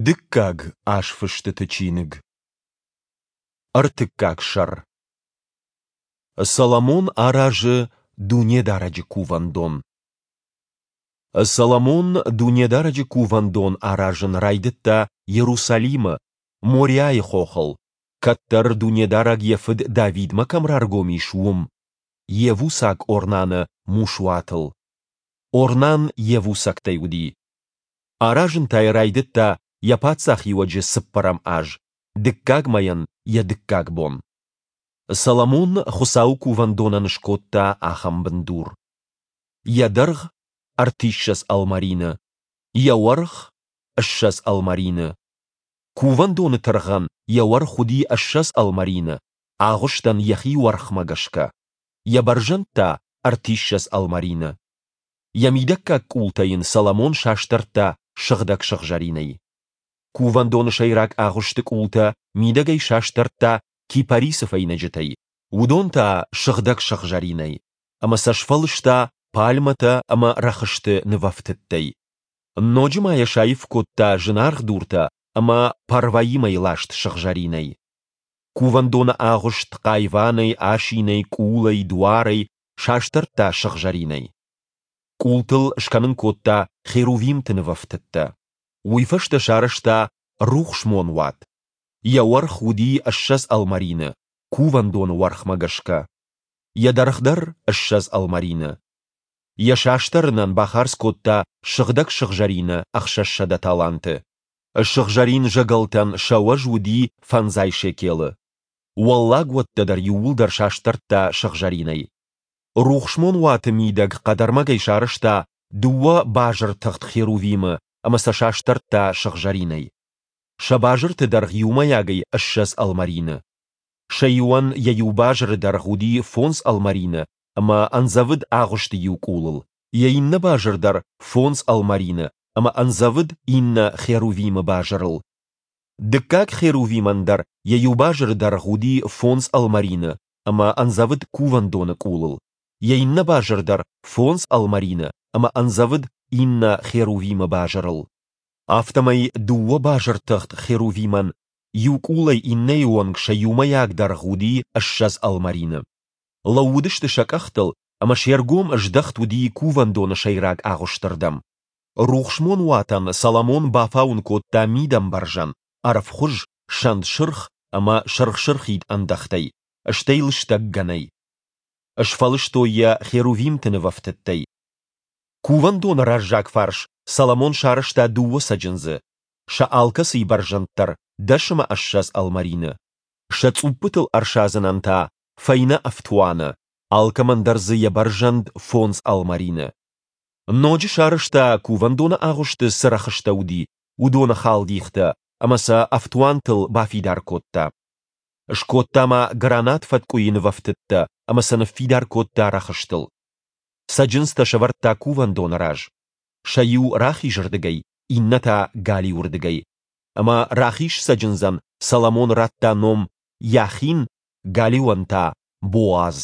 Дыккаг азфыстыты чиныг. Ӕртыккаг сӕр. Соломон аразы Дунедарӕджы кувӕндон. Соломон Дунедарӕджы кувӕндон аразын райдыдта Йерусалимы, Мориайы хохыл, кӕддӕр Дунедарӕг йӕ фыд Давидмӕ кӕм раргом ис, уым, йевусаг Орнаны мусуатыл. Орнан йевусӕгтӕй уыди. Аразын та йӕ райдыдта йӕ паддзахиуӕджы цыппӕрӕм аз, дыккаг мӕйӕн йӕ дыккаг бон. Соломон Хуыцауы кувӕндонӕн скодта ахӕм бындур. Йӕ дӕргъ — ӕртиссӕдз ӕлмӕрины, йӕ уӕрх — 20 ӕлмӕрины. Кувӕндоны тыргъӕн йӕ уӕрх уыди 20 ӕлмӕрины, агъуыстӕн йӕхи уӕрхмӕ гӕсгӕ, йӕ бӕрзӕнд та ӕртиссӕдз ӕлмӕрины. Йӕ мидӕггаг къултӕ йын Соломон састӕрдта сыгъдӕг сыгъзӕринӕй. Кувӕндоны сӕйраг агъуысты къултӕ мидӕгӕй састӕрдта кипарисы фӕйнӕджытӕй, уыдон та сыгъдӕг сыгъзӕринӕй, ӕмӕ сӕ сфӕлыста пальмӕтӕ ӕмӕ рӕхысты нывӕфтыдтӕй. Ноджы ма йӕ саив кодта зынаргъ дуртӕ ӕмӕ Парваимӕй ласт сыгъзӕринӕй. Кувӕндоны агъуыст хъайванӕй, асинӕй, къулӕй, дуарӕй састӕрдта сыгъзӕринӕй. Къултыл скӕнын кодта херувимты нывӕфтыдтӕ. Уый фӕстӕ сарӕзта рухсмонуат. Йӕ уӕрх уыди 20 ӕлмӕрины, кувӕндоны уӕрхмӕ гӕсгӕ. Йӕ дӕргъ дӕр 20 ӕлмӕрины. Йӕ састӕрынӕн бахардз кодта сыгъдӕг сыгъзӕрины 600 таланты. Сыгъзӕрин зӕгӕлтӕн сӕ уӕз уыди фӕндзай шекелы. Уӕллаг уӕттӕ дӕр иууылдӕр састӕрдта сыгъзӕринӕй. Рухсмон уаты мидӕг хъӕдӕрмӕгӕй сарӕзта дыууӕ базыртыгъд херувимы ӕмӕ сӕ састӕрдта сыгъзӕринӕй. Сӕ базырты дӕргъ иумӕйагӕй 20 ӕлмӕрины. Сӕ иуӕн йӕ иу базыры дӕргъ уыди фондз ӕлмӕрины ӕмӕ ӕндзӕвыд агъуысты иу къулыл, йӕ иннӕ базыр дӕр фондз ӕлмӕрины ӕмӕ ӕндзӕвыд иннӕ херувимы базырыл. Дыккаг херувимӕн дӕр йӕ иу базыры дӕргъ уыди фондз ӕлмӕрины ӕмӕ ӕндзӕвыд кувӕндоны къулыл, йӕ иннӕ базыр дӕр фондз ӕлмӕрины ӕмӕ ӕндзӕвыд иннӕ херувимы базырыл. Афтӕмӕй дыууӕ базыртыгъд херувимӕн иу къулӕй иннӕйы онг сӕ иумӕйаг дӕргъ уыди 20 ӕлмӕрины. Лӕууыдысты сӕ къӕхтыл ӕмӕ се ргом здӕхт уыди кувӕндоны сӕйраг агъуысты рдӕм. Рухсмон уатӕн Соломон бафауын кодта мидӕмбӕрзӕн, ӕрвхуыз, сӕнтсырх ӕмӕ сырх-сырхид ӕндӕхтӕй, стӕй лыстӕг гӕнӕй. Сфӕлыстой йӕ херувимты нывӕфтыдтӕй. Кувӕндоны раззаг фарс Соломон сарӕзта дыууӕ цӕджындзы, сӕ алкӕцыйы бӕрзӕнд дӕр дӕс ӕмӕ 20 ӕлмӕрины. Сӕ цъуппытыл ӕрсадзынӕн та фӕйнӕ ӕфтуаны, алкӕмӕн дӕр дзы йӕ бӕрзӕнд фондз ӕлмӕрины. Ноджы сарӕзта, кувӕндоны агъуысты цы рӕхыстӕ уыди, уыдоны халдихтӕ ӕмӕ сӕ ӕфтуантыл бафидар кодта. Скодта ма гранат фӕткъуыйы нывӕфтыдтӕ ӕмӕ сӕ ныффидар кодта рӕхыстыл. Цӕджындзтӕ сӕвӕрдта кувӕндоны раз, сӕ иу рахизырдыгӕй, иннӕ та галиуырдыгӕй. Ӕмӕ рахиз цӕджындзӕн Соломон радта ном Яхин, галиуӕн та Боаз.